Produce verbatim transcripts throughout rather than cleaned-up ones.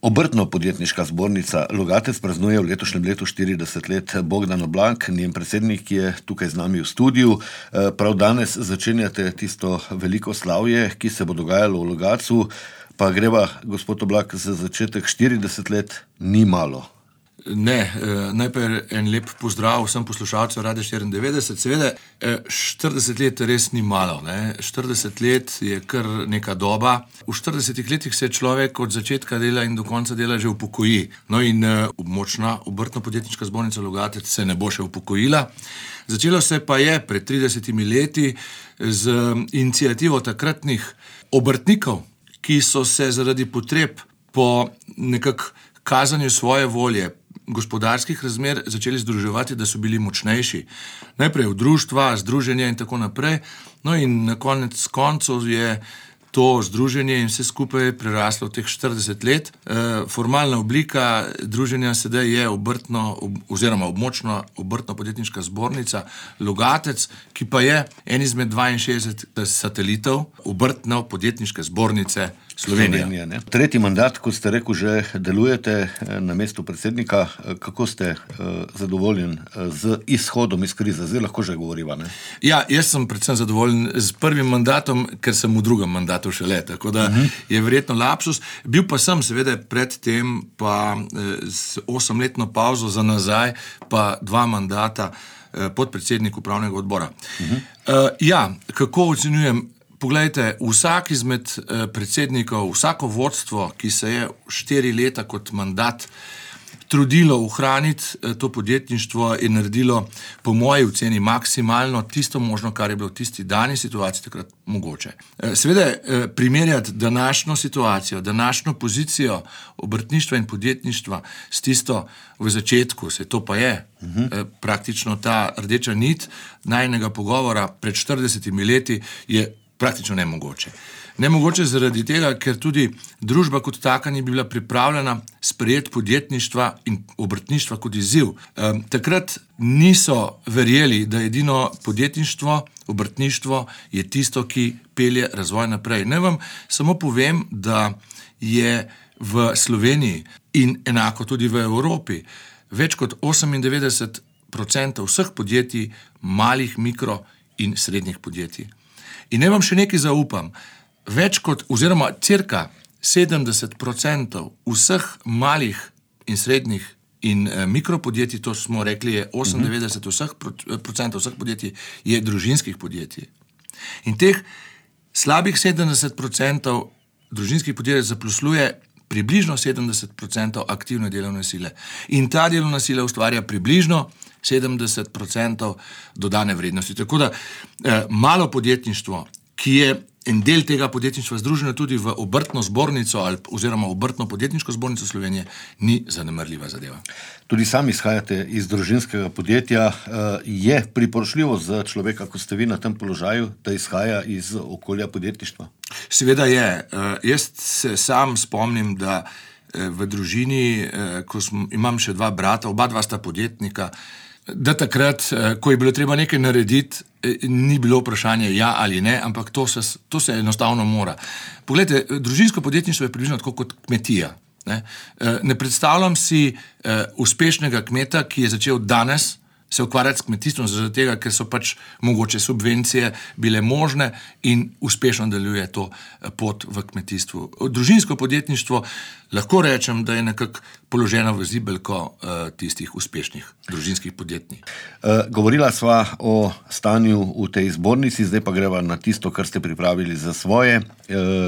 Obrtno-podjetniška zbornica Logatec praznuje v letošnjem letu štirideset let. Bogdan Oblank, njen predsednik, je tukaj z nami v studiu. Prav danes začenjate tisto veliko slavje, ki se bo dogajalo v Logatcu, pa greva, gospod Oblak, za začetek štirideset let ni malo. Ne, najprej en lep pozdrav vsem poslušalcem Radia štiriindevetdeset. Seveda, štirideset let res ni malo. Ne? štirideset let je kar neka doba. V štiridesetih letih se človek od začetka dela in do konca dela že upokoji. No in močna obrtno-podjetniška zbornica Logatec se ne bo še upokojila. Začelo se pa je pred tridesetimi leti z iniciativo takratnih obrtnikov, ki so se zaradi potreb po nekak kazanju svoje volje, gospodarskih razmer začeli združevati, da so bili močnejši. Najprej v društva, združenja in tako naprej. No in na konec koncev je to združenje in vse skupaj preraslo teh štirideset let. E, formalna oblika druženja sedaj je obrtno oziroma območna obrtno-podjetniška zbornica Logatec, ki pa je en izmed dvainšestdeset satelitov obrtno-podjetniške zbornice Slovenije. Slovenije, Tretji mandat, kot ste rekel, že delujete na mestu predsednika. Kako ste uh, zadovoljen z izhodom iz krize? Zdaj lahko že govoriva, ne? Ja, jaz sem predvsem zadovoljen z prvim mandatom, ker sem v drugem mandatu šele, tako da uh-huh. je verjetno lapsus. Bil pa sem seveda pred tem pa z osemletno pauzo za nazaj, pa dva mandata podpredsednik upravnega odbora. Uh-huh. Uh, ja, kako ocenjujem? Poglejte, vsak izmed predsednikov, vsako vodstvo, ki se je štiri leta kot mandat trudilo ohraniti to podjetništvo, je naredilo po moji oceni maksimalno tisto možno, kar je bilo v tisti dani situaciji takrat mogoče. Seveda, primerjati današnjo situacijo, današnjo pozicijo obrtništva in podjetništva s tisto v začetku, se to pa je uh-huh. praktično ta rdeča nit najinega pogovora pred štiridesetimi leti, je praktično nemogoče. Nemogoče zaradi tega, ker tudi družba kot taka ni bila pripravljena sprejeti podjetništva in obrtništva kot izziv. E, takrat niso verjeli, da edino podjetništvo, obrtništvo je tisto, ki pelje razvoj naprej. Naj vam samo povem, da je v Sloveniji in enako tudi v Evropi več kot osemindevetdeset procentov vseh podjetij malih, mikro in srednjih podjetij. In ne vam še nekaj zaupam, več kot oziroma cirka sedemdeset procentov vseh malih in srednjih in eh, mikropodjetij, to smo rekli, je osemindevetdeset procentov vseh podjetij je družinskih podjetij. In teh slabih sedemdeset procentov družinskih podjetij zaposluje približno sedemdeset procentov aktivne delovne sile. In ta delovna sila ustvarja približno sedemdeset procentov dodane vrednosti. Tako da eh, malo podjetništvo, ki je en del tega podjetništva združeno tudi v obrtno zbornico ali oziroma obrtno podjetniško zbornico Slovenije, ni zanemarljiva zadeva. Tudi sami izhajate iz družinskega podjetja. Je priporočljivo za človeka, kot ste vi na tem položaju, da izhaja iz okolja podjetništva? Seveda je. Jaz se sam spomnim, da v družini, ko sem, imam še dva brata, oba dva sta podjetnika, da takrat, ko je bilo treba nekaj narediti, ni bilo vprašanje ja ali ne, ampak to se, to se enostavno mora. Poglejte, družinsko podjetništvo je približno tako kot kmetija. Ne, ne predstavljam si uspešnega kmeta, ki je začel danes se ukvarjati s kmetijstvom, zaradi tega, ker so pač mogoče subvencije bile možne in uspešno deluje to pot v kmetijstvu. Družinsko podjetništvo lahko rečem, da je nekako položeno v zibelko uh, tistih uspešnih družinskih podjetij. Uh, govorila sva o stanju v tej zbornici, zdaj pa greva na tisto, kar ste pripravili za svoje uh,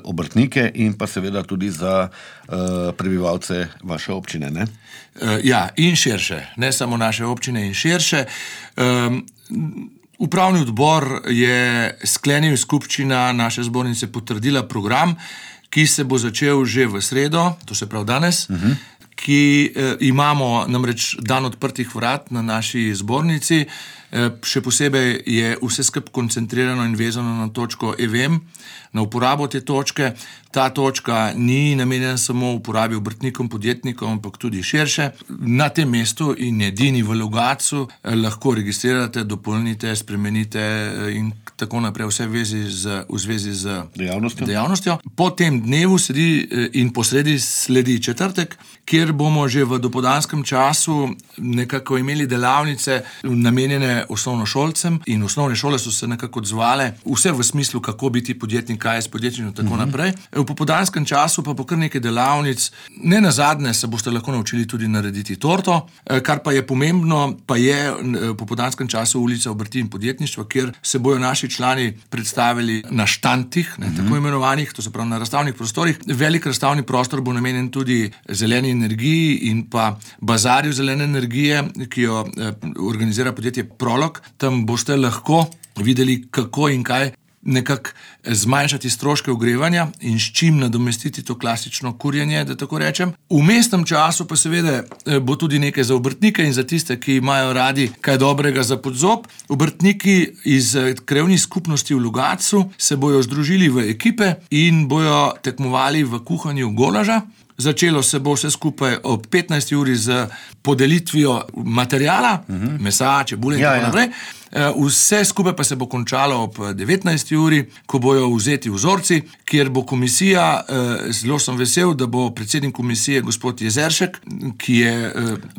obrtnike in pa seveda tudi za uh, prebivalce vaše občine, ne? Uh, ja, in širše. Ne samo naše občine in širše. Um, upravni odbor je sklenil, skupščina naše zbornice potrdila program, ki se bo začel že v sredo, to se pravi danes, uh-huh. ki eh, imamo namreč dan odprtih vrat na naši zbornici, Še posebej je vse skupaj koncentrirano in vezano na točko E V M, na uporabo te točke. Ta točka ni namenjena samo uporabi obrtnikom, podjetnikom, ampak tudi širše. Na tem mestu in edini v Logatcu lahko registrirate, dopolnite, spremenite in tako naprej vse v zvezi z, v zvezi z dejavnostjo. dejavnostjo. Po tem dnevu sledi in posredi sledi četrtek, kjer bomo že v dopoldanskem času nekako imeli delavnice namenjene osnovnošolcem in osnovne šole so se nekako odzvale, vse v smislu, kako biti podjetnik, kaj je s podjetništvom in tako naprej. V popoldanskem času pa bo kar nekaj delavnic. Ne nazadnje se boste lahko naučili tudi narediti torto, kar pa je pomembno, pa je v popoldanskem času ulica obrti in podjetništva, kjer se bojo naši člani predstavili na štantih, ne, tako imenovanih, to se pravi na razstavnih prostorih. Velik razstavni prostor bo namenjen tudi zeleni energiji in pa bazarju zelene energije, ki jo eh, organizira podjetje Prolog. Tam boste lahko videli, kako in kaj nekako zmanjšati stroške ogrevanja in s čim nadomestiti to klasično kurjenje, da tako rečem. V mestnem času pa seveda bo tudi nekaj za obrtnike in za tiste, ki imajo radi kaj dobrega za podzob. Obrtniki iz krajevnih skupnosti v Logatcu se bojo združili v ekipe in bojo tekmovali v kuhanju golaža. Začelo se bo vse skupaj ob petnajsti uri z podelitvijo materijala, uh-huh. mesa, čebule in ja, tako naprej. Ja. Vse skupaj pa se bo končalo ob devetnajsti uri, ko bojo vzeti vzorci, kjer bo komisija, zelo sem vesel, da bo predsednik komisije gospod Jezeršek, ki je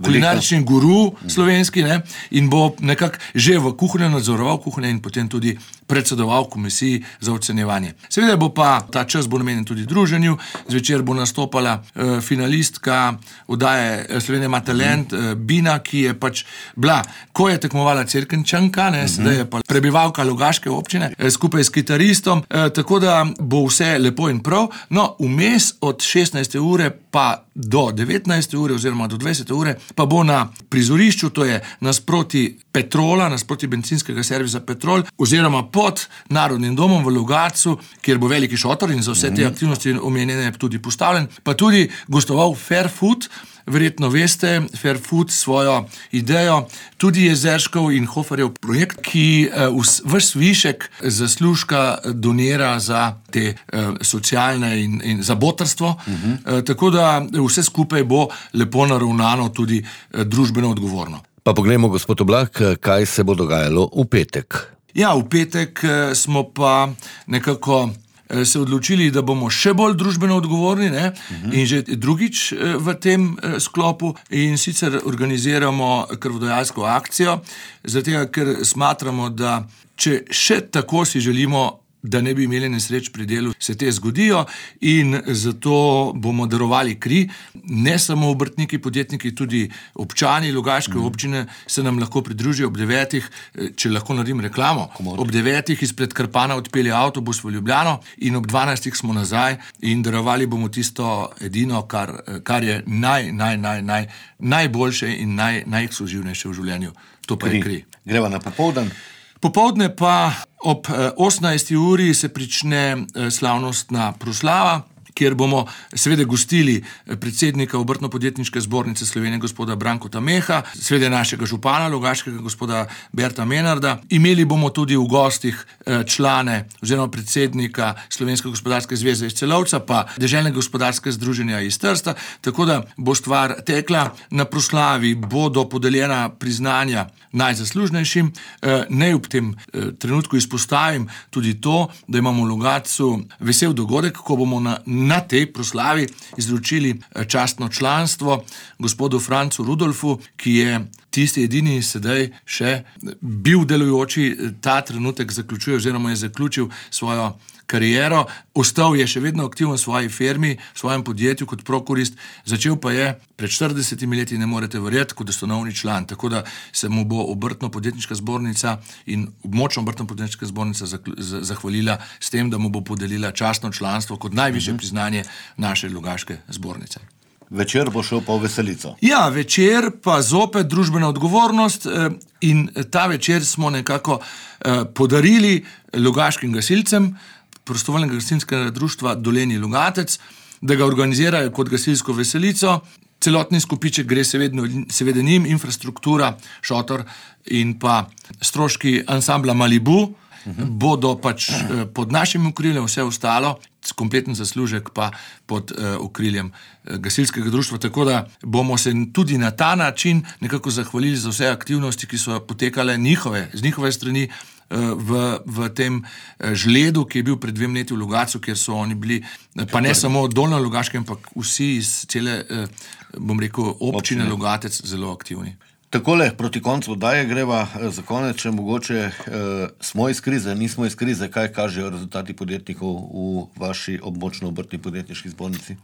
kulinarični guru slovenski, ne, in bo nekako že v kuhinji nadzoroval kuhinje in potem tudi predsedoval komisiji za ocenjevanje. Seveda bo pa ta čas bo namenjen tudi druženju. Zvečer bo nastopala uh, finalistka oddaje Slovenija ima talent, uh, Bina, ki je pač bila, ko je tekmovala Cerkničanka, ne, sedaj je pa prebivalka Logaške občine, uh, skupaj s kitaristom, uh, tako da bo vse lepo in prav. No, vmes od šestnajste ure pa do devetnajste ure oziroma do dvajsete ure pa bo na prizorišču, to je nasproti Petrola, nasproti bencinskega servisa Petrol, oziroma pod Narodnim domom v Logatcu, kjer bo veliki šotor in za vse te aktivnosti omenjene tudi postavljen, pa tudi gostoval Fair Food. Verjetno veste, Fair Food svojo idejo, tudi Jezerškov in Hoferjev projekt, ki vaš višek zaslužka donira za te uh, socialne in, in za botrstvo, uh-huh. uh, tako da vse skupaj bo lepo naravnano tudi uh, družbeno odgovorno. Pa poglejmo, gospod Oblak, kaj se bo dogajalo v petek. Ja, v petek uh, smo pa nekako se odločili, da bomo še bolj družbeno odgovorni, ne? Uh-huh. In že drugič v tem sklopu in sicer organiziramo krvodajalsko akcijo, zato ker smatramo, da če še tako si želimo, da ne bi imeli nesreč pri delu, se te zgodijo in zato bomo darovali kri. Ne samo obrtniki, podjetniki, tudi občani Logaške mm. občine se nam lahko pridružijo ob devetih, če lahko naredim reklamo. Komod. Ob devetih izpred Krpana odpelje avtobus v Ljubljano in ob dvanajstih smo nazaj in darovali bomo tisto edino, kar, kar je naj, naj, naj, naj, najboljše in naj, najekskluzivnejše v življenju. To pa kri. je kri. Greva na popoldan. Popoldne pa ob osemnajsti uri se prične slavnostna proslava, kjer bomo seveda gostili predsednika Obrtno-podjetniške zbornice Slovenije gospoda Brankota Meha, seveda našega župana Logaškega gospoda Berta Menarda. Imeli bomo tudi v gostih člane oziroma predsednika Slovenske gospodarske zveze iz Celovca, pa Deželnega gospodarskega združenja iz Trsta, tako da bo stvar tekla. Na proslavi bodo podeljena priznanja najzaslužnejšim. Naj ob tem trenutku izpostavim tudi to, da imamo v Logatcu vesel dogodek, ko bomo na na tej proslavi izročili častno članstvo gospodu Francu Rudolfu, ki je tisti edini sedaj še bil delujoči, ta trenutek zaključuje oziroma je zaključil svojo kariero, ostal je še vedno aktiven v svoji firmi, v svojem podjetju kot prokurist, začel pa je pred štiridesetimi leti, ne morete verjeti, kot ustanovni član, tako da se mu bo Obrtno-podjetniška zbornica in območna Obrtno-podjetniška zbornica zahvalila s tem, da mu bo podelila častno članstvo kot najvišje uh-huh. priznanje naše Logaške zbornice. Večer bo šel pa v veselico. Ja, večer pa zopet družbena odgovornost in ta večer smo nekako podarili logaškim gasilcem prostovoljnega gasilskega društva Dolenji Logatec, da ga organizirajo kot gasilsko veselico. celotni skupiček gre seveda, seveda njim, infrastruktura, šotor in pa stroški ansambla Malibu, uhum. bodo pač pod našim okriljem, vse ostalo, kompleten zaslužek pa pod uh, okriljem uh, gasilskega društva, tako da bomo se tudi na ta način nekako zahvalili za vse aktivnosti, ki so potekale njihove, z njihove strani uh, v, v tem uh, žledu, ki je bil pred dvem leti v Logatcu, kjer so oni bili, uh, pa ne samo dolno Logaške, ampak vsi iz cele, uh, bom rekel, občine, občine Logatec zelo aktivni. Takole, proti koncu oddaje greva za konec, če mogoče eh, smo iz krize, nismo iz krize, kaj kažejo rezultati podjetnikov v vaši območno-obrtni podjetniški zbornici?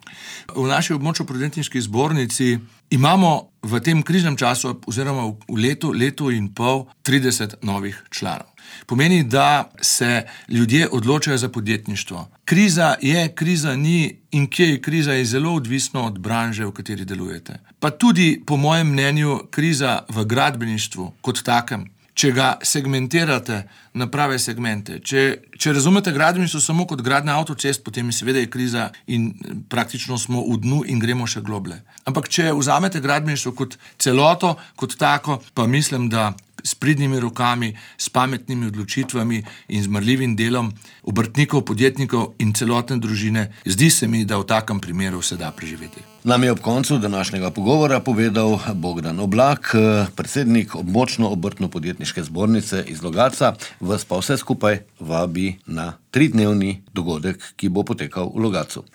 V naši območno-podjetniški zbornici imamo v tem kriznem času, oziroma v letu, letu in pol, trideset novih članov. Pomeni, da se ljudje odločajo za podjetništvo. Kriza je, kriza ni in kje je kriza, je zelo odvisno od branže, v kateri delujete. Pa tudi, po mojem mnenju, kriza v gradbeništvu kot takem, če ga segmentirate na prave segmente. Če, če razumete gradbeništvo samo kot gradnja avtocest, potem seveda je kriza in praktično smo v dnu in gremo še globlje. Ampak če vzamete gradbeništvo kot celoto, kot tako, pa mislim, da s pridnimi rokami, s pametnimi odločitvami in z marljivim delom obrtnikov, podjetnikov in celotne družine, zdi se mi, da v takem primeru se da preživeti. Nam je ob koncu današnjega pogovora povedal Bogdan Oblak, predsednik območno-obrtno-podjetniške zbornice iz Logatca. Vas pa vse skupaj vabi na tridnevni dogodek, ki bo potekal v Logatcu.